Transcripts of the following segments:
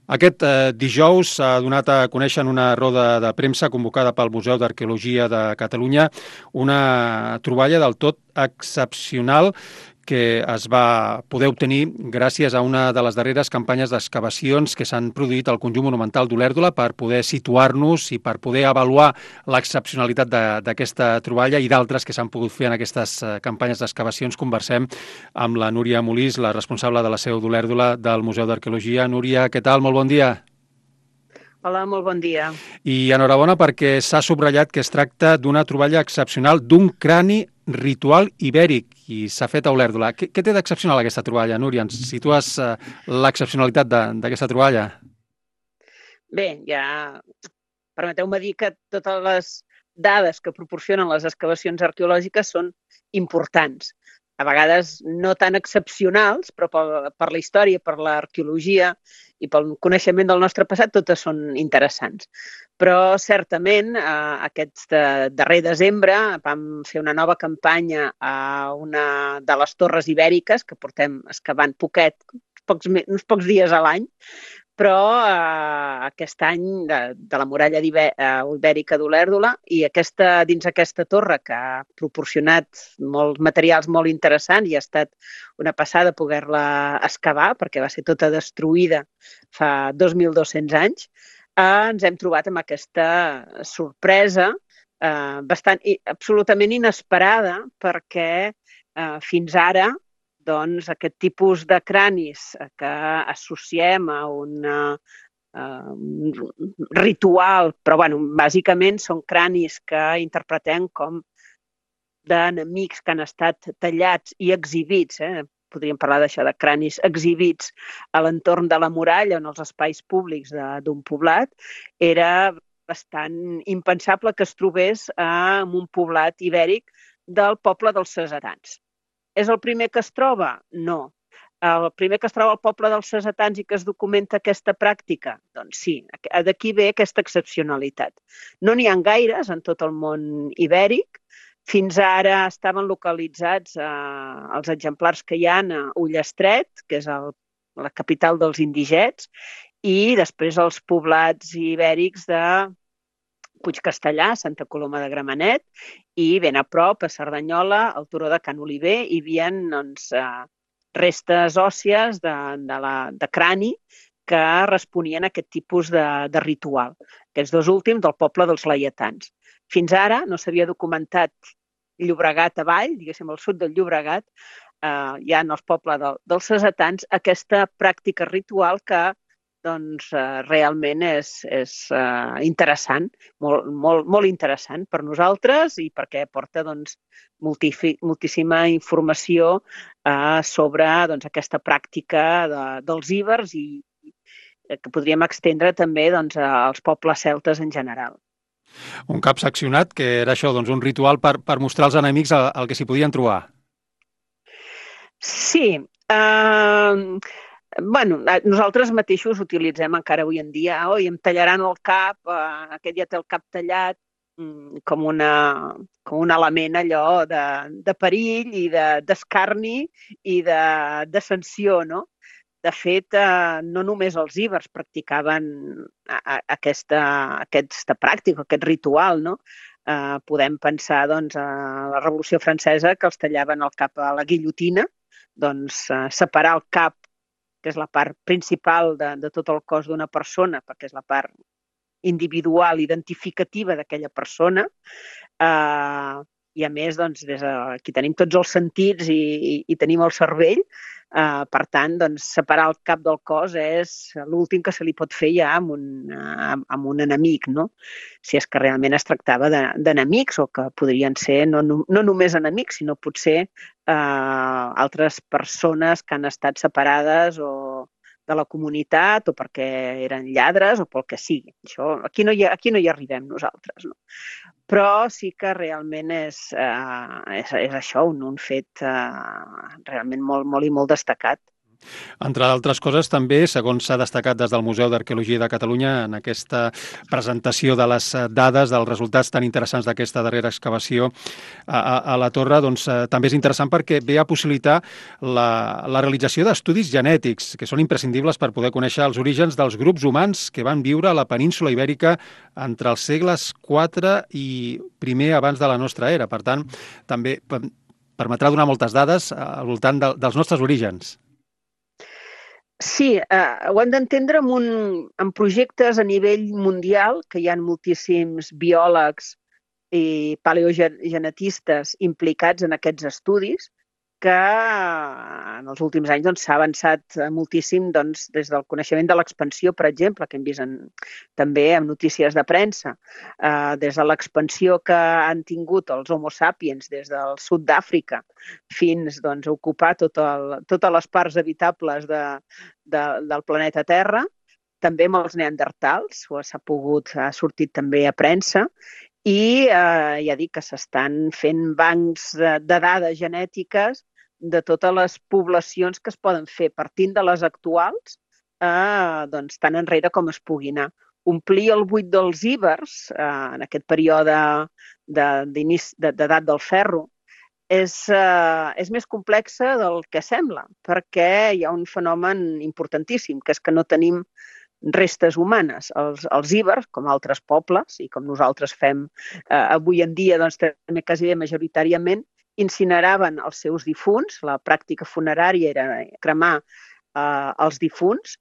Aquest dijous s'ha donat a conèixer en una roda de premsa convocada pel Museu d'Arqueologia de Catalunya una troballa del tot excepcional que es va poder obtenir gràcies a una de les darreres campanyes d'excavacions que s'han produït al conjunt monumental d'Olèrdola per poder situar-nos i per poder avaluar l'excepcionalitat d'aquesta troballa i d'altres que s'han pogut fer en aquestes campanyes d'excavacions. Conversem amb la Núria Molís, la responsable de la seu d'Olèrdola del Museu d'Arqueologia. Núria, què tal? Molt bon dia. Hola, molt bon dia. I enhorabona perquè s'ha subratllat que es tracta d'una troballa excepcional d'un crani ritual ibèric i s'ha fet a Olèrdola. Què té d'excepcional aquesta troballa, Núria? Ens situes l'excepcionalitat d'aquesta troballa? Bé, ja permeteu-me dir que totes les dades que proporcionen les excavacions arqueològiques són importants. A vegades no tan excepcionals, però per la història, per l'arqueologia i pel coneixement del nostre passat, totes són interessants. Però certament aquest darrer desembre vam fer una nova campanya a una de les torres ibèriques que portem excavant uns pocs dies a l'any, però aquest any de la muralla ibèrica d'Olèrdola i dins aquesta torre que ha proporcionat molts materials molt interessants i ha estat una passada poder-la excavar perquè va ser tota destruïda fa 2.200 anys, ens hem trobat amb aquesta sorpresa absolutament inesperada perquè fins ara doncs, aquest tipus de cranis que associem a un ritual, però bueno, bàsicament són cranis que interpretem com d'enemics que han estat tallats i exhibits, podríem parlar d'això, de cranis exhibits a l'entorn de la muralla, en els espais públics d'un poblat, era bastant impensable que es trobés en un poblat ibèric del poble dels cesetans. És el primer que es troba? No. El primer que es troba al poble dels cesetans i que es documenta aquesta pràctica? Doncs sí, d'aquí ve aquesta excepcionalitat. No n'hi ha gaires en tot el món ibèric. Fins ara estaven localitzats els exemplars que hi ha a Ullastret, que és la capital dels indigets, i després els poblats ibèrics de Puigcastellà, Santa Coloma de Gramenet, i ben a prop, a Cerdanyola, al turó de Can Oliver, hi havia restes òssies de crani que responien a aquest tipus de ritual. Aquests dos últims del poble dels laietans. Fins ara no s'havia documentat Llobregat avall, diguéssim al sud del Llobregat, ja en els pobles dels cesetans, aquesta pràctica ritual que doncs realment és interessant, molt interessant per nosaltres i perquè porta moltíssima informació sobre aquesta pràctica dels íbers i que podríem extendre també als pobles celtes en general. Un cap seccionat, que era això, un ritual per mostrar als enemics el que s'hi podien trobar. Sí, bueno, nosaltres mateixos utilitzem encara avui en dia, em tallaran el cap, aquest ja té el cap tallat, com un element allò de perill i d'escarni i de sanció, no? De fet, no només els íbers practicaven aquesta pràctica, aquest ritual, no? Podem pensar a la Revolució Francesa que els tallaven el cap a la guillotina, separar el cap, que és la part principal de tot el cos d'una persona, perquè és la part individual, identificativa d'aquella persona, i a més, aquí tenim tots els sentits i tenim el cervell, per tant, separar el cap del cos és l'últim que se li pot fer ja amb un enemic, no? Si és que realment es tractava d'enemics o que podrien ser no només enemics, sinó potser altres persones que han estat separades o de la comunitat o perquè eren lladres o pel que sigui. Aquí no hi arribem nosaltres, no? Però sí que realment és això, un fet realment molt, molt i molt destacat. Entre d'altres coses, també, segons s'ha destacat des del Museu d'Arqueologia de Catalunya, en aquesta presentació de les dades, dels resultats tan interessants d'aquesta darrera excavació a la torre, doncs també és interessant perquè ve a possibilitar la realització d'estudis genètics, que són imprescindibles per poder conèixer els orígens dels grups humans que van viure a la península Ibèrica entre els segles IV i primer abans de la nostra era. Per tant, també permetrà donar moltes dades al voltant dels nostres orígens. Sí, ho hem d'entendre en projectes a nivell mundial, que hi ha moltíssims biòlegs i paleogenetistes implicats en aquests estudis, que en els últims anys doncs, s'ha avançat moltíssim doncs, des del coneixement de l'expansió, per exemple, que hem vist també en notícies de premsa, des de l'expansió que han tingut els Homo sapiens des del sud d'Àfrica fins doncs, a ocupar totes les parts habitables del planeta Terra, també amb els neandertals, ha sortit també a premsa, i ja dic que s'estan fent bancs de dades genètiques de totes les poblacions que es poden fer, partint de les actuals, doncs, tan enrere com es pugui anar. Omplir el buit dels íbers, en aquest període d'edat del ferro, és més complexa del que sembla, perquè hi ha un fenomen importantíssim, que és que no tenim restes humanes. Els íbers, com altres pobles, i com nosaltres fem avui en dia, doncs també quasi majoritàriament, incineraven els seus difunts, la pràctica funerària era cremar els difunts,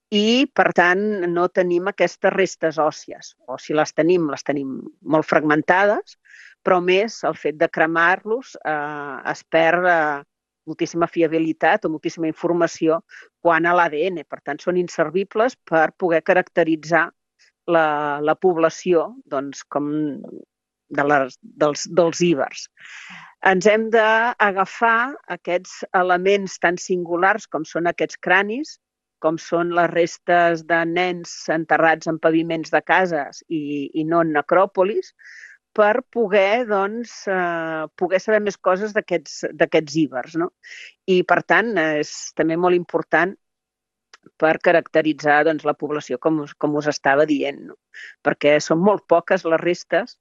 i, per tant, no tenim aquestes restes òssies, o si les tenim molt fragmentades, però més el fet de cremar-los es perd moltíssima fiabilitat o moltíssima informació quant a l'ADN. Per tant, són inservibles per poder caracteritzar la població doncs, com dels íbers. Ens hem d'agafar aquests elements tan singulars com són aquests cranis, com són les restes de nens enterrats en paviments de cases i no en necròpolis, per poder, doncs, poder saber més coses d'aquests íbers. No? I, per tant, és també molt important per caracteritzar doncs, la població, com us estava dient, no? Perquè són molt poques les restes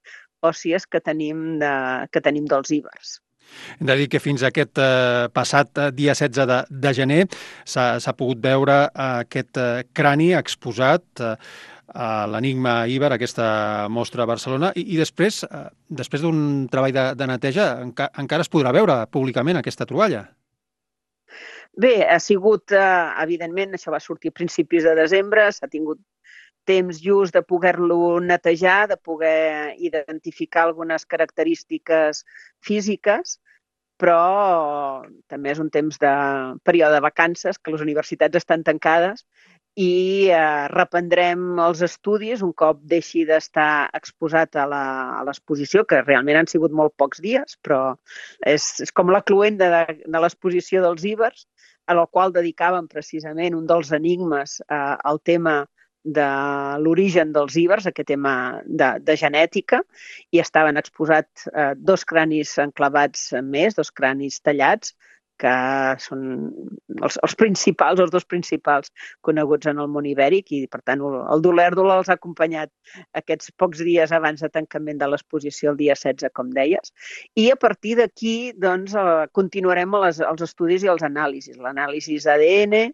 òssies que tenim dels íbers. Hem de dir que fins a aquest passat dia 16 de gener s'ha pogut veure aquest crani exposat a l'Enigma Íber, aquesta mostra a Barcelona, i després d'un treball de neteja encara es podrà veure públicament aquesta troballa. Bé, ha sigut, evidentment, això va sortir a principis de desembre, s'ha tingut temps just de poder-lo netejar, de poder identificar algunes característiques físiques, però també és un temps de període de vacances, que les universitats estan tancades, i reprendrem els estudis un cop deixi d'estar exposat a l'exposició, que realment han sigut molt pocs dies, però és com la cloenda de l'exposició dels íbers, a la qual dedicàvem precisament un dels enigmes al tema de l'origen dels íbers, aquest tema de genètica, i estaven exposats dos cranis enclavats més, dos cranis tallats, que són els dos principals coneguts en el món ibèric, i per tant el Dolèrdol els ha acompanyat aquests pocs dies abans de tancament de l'exposició, el dia 16, com deies, i a partir d'aquí doncs, continuarem els estudis i els anàlisis, l'anàlisi d'ADN,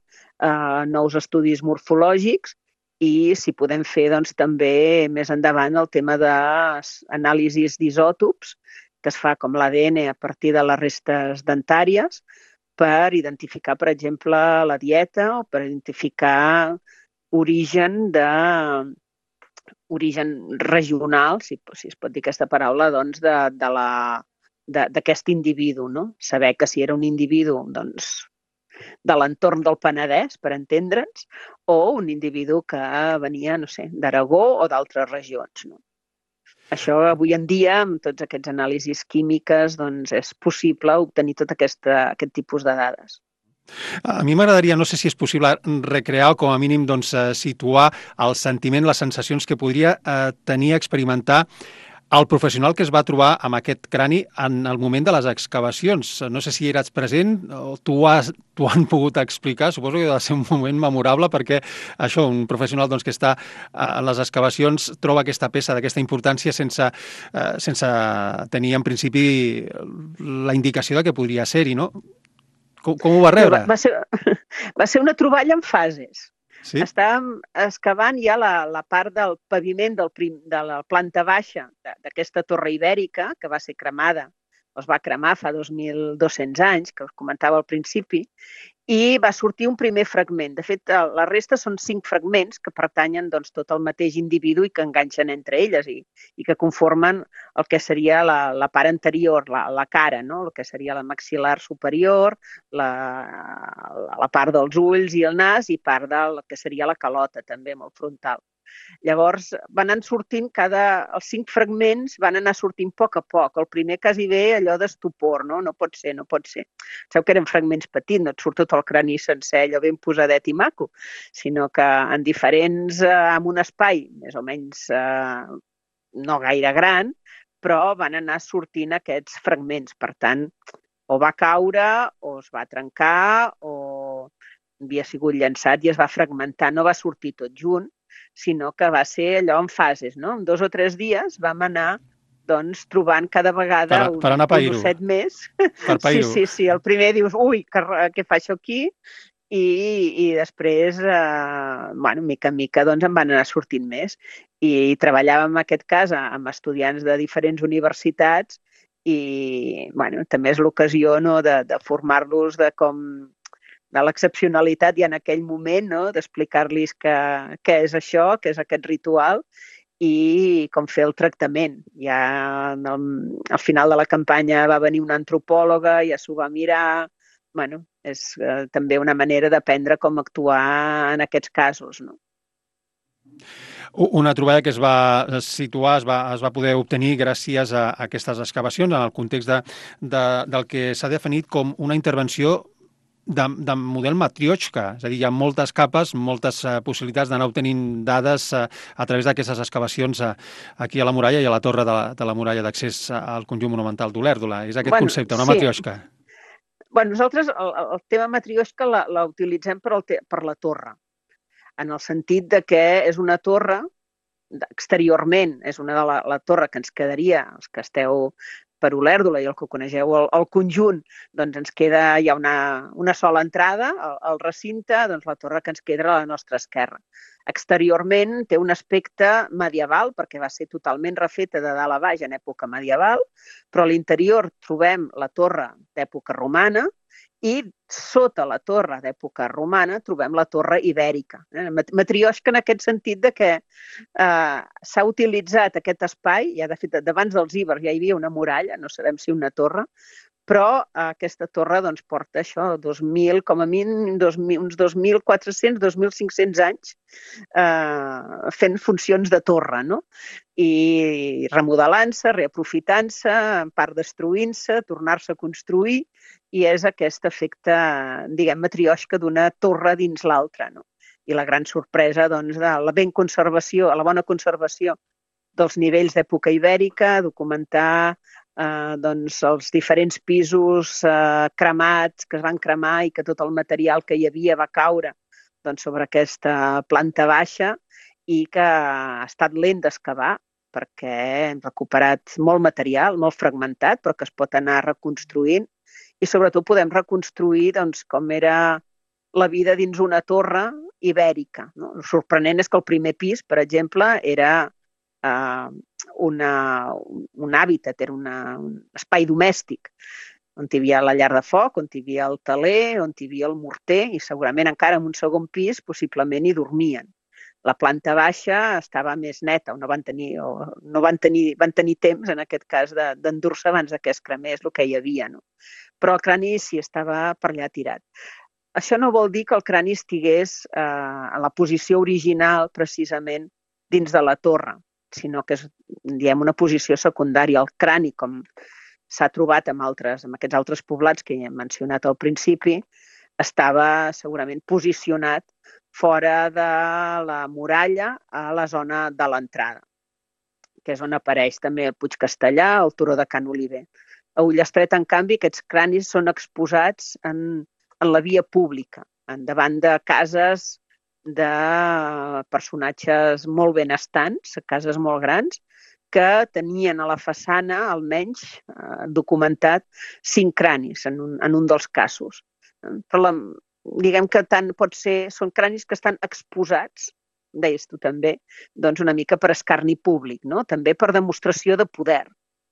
nous estudis morfològics, i si podem fer doncs, també més endavant el tema d'anàlisis d'isòtops, que es fa com l'ADN a partir de les restes dentàries, per identificar, per exemple, la dieta o per identificar origen regional, si es pot dir aquesta paraula, doncs, d'aquest individu. No? Saber que si era un individu doncs, de l'entorn del Penedès, per entendre'ns, o un individu que venia, no sé, d'Aragó o d'altres regions. No? Això avui en dia, amb tots aquests anàlisis químiques, doncs és possible obtenir tot aquest tipus de dades. A mi m'agradaria, no sé si és possible, recrear o com a mínim doncs, situar el sentiment, les sensacions que podria tenir, experimentar el professional que es va trobar amb aquest crani en el moment de les excavacions. No sé si eres present o t'ho han pogut explicar. Suposo que ha de ser un moment memorable perquè això, un professional doncs, que està a les excavacions troba aquesta peça d'aquesta importància sense tenir en principi la indicació de que podria ser-hi, no? Com ho va rebre? Va ser una troballa en fases. Sí? Estàvem excavant ja la part del paviment de la planta baixa d'aquesta torre ibèrica, que va ser cremada, es va cremar fa 2.200 anys, que us comentava al principi, i va sortir un primer fragment. De fet, la resta són 5 fragments que pertanyen doncs, tot al mateix individu i que enganxen entre elles i que conformen el que seria la part anterior, la cara, no? El que seria la maxil·lar superior, la part dels ulls i el nas i part del que seria la calota, també, amb el frontal. Llavors van anar sortint els 5 fragments van anar sortint a poc. El primer quasi bé allò d'estupor, no? No pot ser. Sabeu que eren fragments petits, no et surt tot el crani sencer, allò ben posadet i maco, sinó que en diferents, en un espai més o menys no gaire gran, però van anar sortint aquests fragments. Per tant, o va caure, o es va trencar, o havia sigut llançat i es va fragmentar. No va sortir tot junt, sinó que va ser allò en fases, no? En 2 o 3 dies vam anar doncs, trobant cada vegada un osset més. Per pair-ho. Sí. El primer dius, ui, què fa això aquí? I després, mica en mica, doncs, en van anar sortint més. I treballàvem, en aquest cas, amb estudiants de diferents universitats i, també és l'ocasió, no?, de formar-los de l'excepcionalitat ja en aquell moment, no?, d'explicar-los què és això, què és aquest ritual i com fer el tractament. Ja al final de la campanya va venir una antropòloga, ja s'ho va mirar. És també una manera d'aprendre com actuar en aquests casos, no? Una troballa que es va situar, es va poder obtenir gràcies a aquestes excavacions en el context del que s'ha definit com una intervenció de model matrioshka, és a dir, hi ha moltes capes, moltes possibilitats d'anar obtenint dades a través d'aquestes excavacions aquí a la muralla i a la torre de la muralla d'accés al conjunt monumental d'Olèrdola. És aquest concepte, una matrioshka. Nosaltres el tema matrioshka la utilitzem per la torre, en el sentit de que és una torre, exteriorment, és una de la torre que ens quedaria, els que esteu per Olèrdola i el que coneixeu el conjunt, doncs ens queda, hi ha una sola entrada al recinte, doncs la torre que ens queda a la nostra esquerra. Exteriorment té un aspecte medieval, perquè va ser totalment refeta de dalt a baix en època medieval, però a l'interior trobem la torre d'època romana i sota la torre d'època romana trobem la torre ibèrica. Matrioshka en aquest sentit de que s'ha utilitzat aquest espai, ja de fet, d'abans dels ibers ja hi havia una muralla, no sabem si una torre, però aquesta torre doncs, porta això, 2.000, com a mínim, uns 2.400, 2.500 anys fent funcions de torre, no? I remodelant-se, reaprofitant-se, en part destruint-se, tornar-se a construir, i és aquest efecte, diguem, matrioshka d'una torre dins l'altra, no? I la gran sorpresa, doncs, de la bona conservació dels nivells d'època ibèrica, documentar doncs, els diferents pisos cremats, que es van cremar i que tot el material que hi havia va caure doncs, sobre aquesta planta baixa i que ha estat lent d'excavar perquè hem recuperat molt material, molt fragmentat, però que es pot anar reconstruint i sobretot podem reconstruir doncs, com era la vida dins una torre ibèrica. No? El sorprenent és que el primer pis, per exemple, era un hàbitat, era un espai domèstic, on hi havia la llar de foc, on hi havia el teler, on hi havia el morter, i segurament encara en un segon pis possiblement hi dormien. La planta baixa estava més neta, van tenir temps, en aquest cas, d'endur-se abans que es cremés el que hi havia. No? Però el crani sí estava per allà tirat. Això no vol dir que el crani estigués a la posició original, precisament, dins de la torre, sinó que és, diguem, una posició secundària. El crani, com s'ha trobat en aquests altres poblats que he mencionat al principi, estava segurament posicionat fora de la muralla a la zona de l'entrada. que és on apareix també el Puig Castellar, el Turó de Can Oliver. A Ullastret, en canvi, aquests cranis són exposats en la via pública, davant de cases de personatges molt benestants, cases molt grans, que tenien a la façana, almenys documentat, 5 cranis en un dels casos. Però diguem que tant pot ser, són cranis que estan exposats, deies tu també, doncs una mica per escarni públic, no? També per demostració de poder.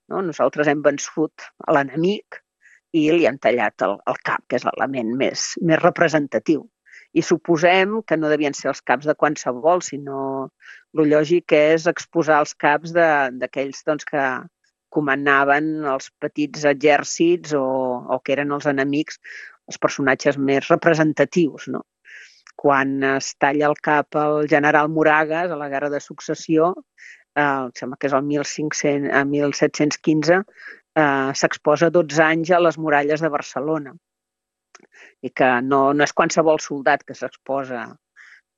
No? Nosaltres hem vençut a l'enemic i li hem tallat el cap, que és l'element més representatiu. I suposem que no devien ser els caps de qualsevol, sinó el lògic és exposar els caps d'aquells doncs, que comandaven els petits exèrcits o que eren els enemics, els personatges més representatius, no? Quan es talla el cap al general Moragues a la Guerra de Successió, em sembla que és el 1715, s'exposa 12 anys a les muralles de Barcelona. I que no és qualsevol soldat que s'exposa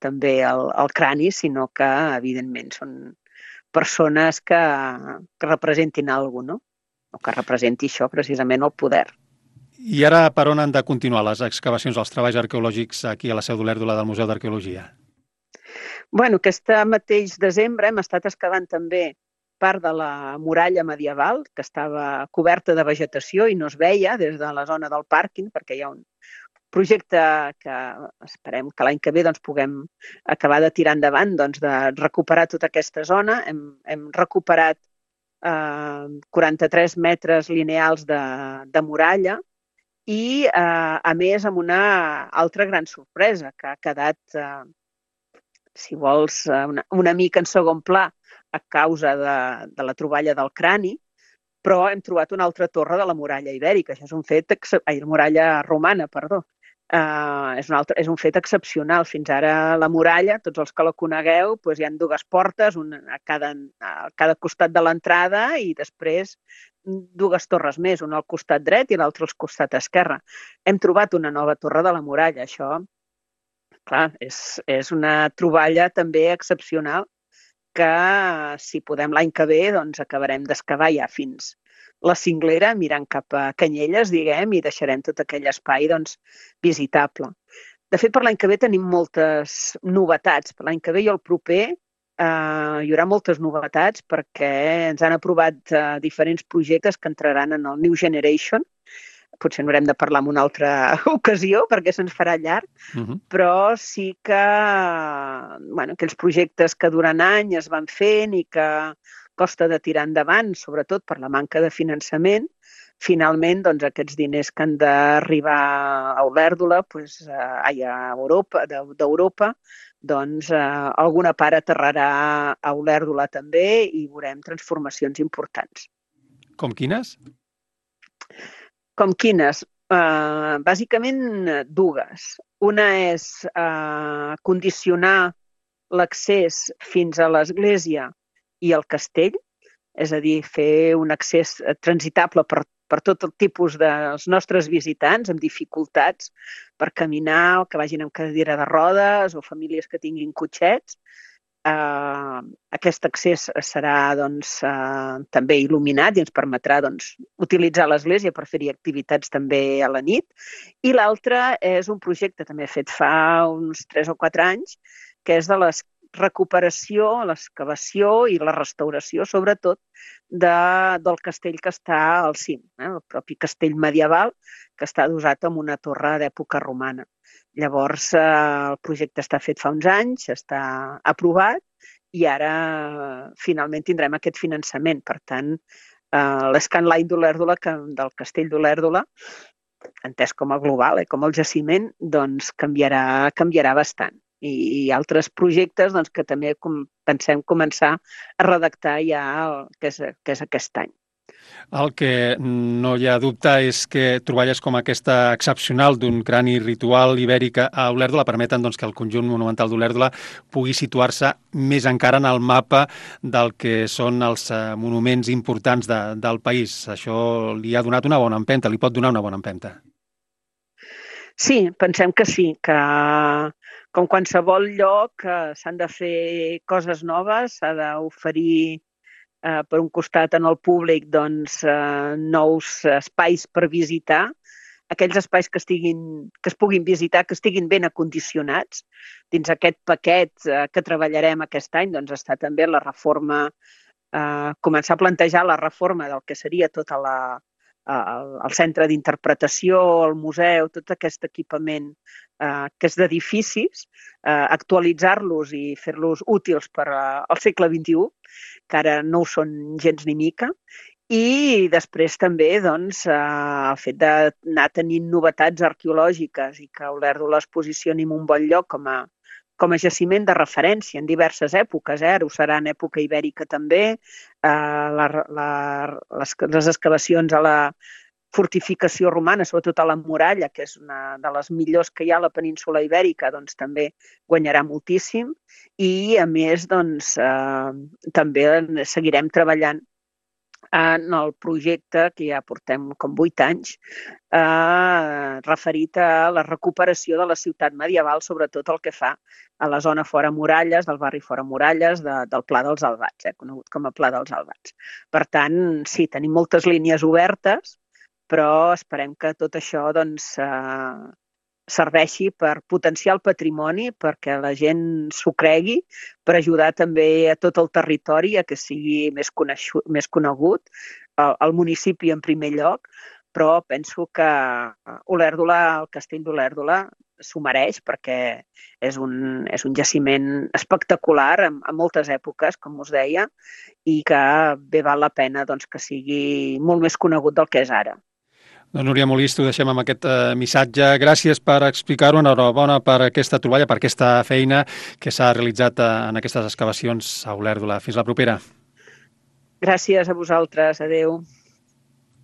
també al crani, sinó que, evidentment, són persones que representin alguna cosa, no? O que representi això, precisament, el poder. I ara per on han de continuar les excavacions, els treballs arqueològics aquí a la Seu d'Olèrdola del Museu d'Arqueologia? Bueno, aquest mateix desembre hem estat excavant també part de la muralla medieval, que estava coberta de vegetació i no es veia des de la zona del pàrquing, perquè hi ha un projecte que esperem que l'any que ve doncs, puguem acabar de tirar endavant, doncs, de recuperar tota aquesta zona. Hem recuperat 43 metres lineals de muralla i, a més, amb una altra gran sorpresa, que ha quedat, si vols, una mica en segon pla a causa de la troballa del crani, però hem trobat una altra torre de la muralla ibèrica. Això és un fet... la muralla romana, perdó. És un fet excepcional. Fins ara la muralla, tots els que la conegueu, doncs hi ha 2 portes, una a cada costat de l'entrada i després 2 torres més, una al costat dret i l'altra al costat esquerre. Hem trobat una nova torre de la muralla. Això, clar, és una troballa també excepcional que, si podem l'any que ve, doncs acabarem d'excavar ja fins la cinglera, mirant cap a Canyelles, diguem, i deixarem tot aquell espai doncs, visitable. De fet, per l'any que ve tenim moltes novetats. Per l'any que ve i el proper hi haurà moltes novetats perquè ens han aprovat diferents projectes que entraran en el New Generation. Potser n'haurem de parlar en una altra ocasió perquè se'ns farà llarg, però sí que aquells projectes que durant anys es van fent i que costa de tirar endavant, sobretot per la manca de finançament, finalment doncs, aquests diners que han d'arribar a Olèrdola, a Europa, d'Europa, doncs alguna part aterrarà a Olèrdola també i veurem transformacions importants. Com quines? Com quines? Bàsicament 2. Una és condicionar l'accés fins a l'església i al castell, és a dir, fer un accés transitable per tot el tipus dels nostres visitants amb dificultats per caminar o que vagin amb cadira de rodes o famílies que tinguin cotxets. Aquest accés serà doncs, també il·luminat i ens permetrà doncs, utilitzar l'església per fer-hi activitats també a la nit. I l'altre és un projecte també fet fa uns 3 o 4 anys, que és de la recuperació, l'excavació i la restauració, sobretot, del castell que està al cim, el propi castell medieval, que està adossat amb una torre d'època romana. Llavors, el projecte està fet fa uns anys, està aprovat i ara finalment tindrem aquest finançament. Per tant, l'Scanline d'Olèrdola, del castell d'Olèrdola, entès com a global, com el jaciment, doncs canviarà bastant. I altres projectes doncs, que també pensem començar a redactar ja que és aquest any. El que no hi ha dubte és que troballes com aquesta excepcional d'un crani ritual ibèric a Olèrdola permeten doncs, que el conjunt monumental d'Olèrdola pugui situar-se més encara en el mapa del que són els monuments importants del país. Això li ha donat una bona empenta, li pot donar una bona empenta. Sí, pensem que sí, que com qualsevol lloc s'han de fer coses noves, s'ha d'oferir per un costat en el públic doncs, nous espais per visitar, aquells espais que es puguin visitar, que estiguin ben acondicionats. Dins aquest paquet que treballarem aquest any doncs, està també la reforma, començar a plantejar la reforma del que seria tot el centre d'interpretació, el museu, tot aquest equipament que és d'edificis, actualitzar-los i fer-los útils per al segle XXI, que ara no ho són gens ni mica, i després també doncs, el fet d'anar tenint novetats arqueològiques i que Olèrdola es posicioni en un bon lloc com a jaciment de referència en diverses èpoques. Ara ho serà en època ibèrica també. Les excavacions a la fortificació romana, sobretot a la muralla, que és una de les millors que hi ha a la península ibèrica, doncs també guanyarà moltíssim. I, a més, doncs, també seguirem treballant en el projecte que ja portem com 8 anys, referit a la recuperació de la ciutat medieval, sobretot el que fa a la zona fora muralles, del barri fora muralles, del Pla dels Albats, conegut com a Pla dels Albats. Per tant, sí, tenim moltes línies obertes, però esperem que tot això doncs, serveixi per potenciar el patrimoni, perquè la gent s'ho cregui, per ajudar també a tot el territori a que sigui més conegut, el municipi en primer lloc, però penso que Olèrdola, el castell d'Olèrdola, s'ho mereix perquè és un jaciment espectacular en moltes èpoques, com us deia, i que bé val la pena doncs, que sigui molt més conegut del que és ara. Doncs Núria Molist, ho deixem amb aquest missatge. Gràcies per explicar-ho. Enhorabona per aquesta troballa, per aquesta feina que s'ha realitzat en aquestes excavacions a Olèrdola. Fins la propera. Gràcies a vosaltres. Adéu.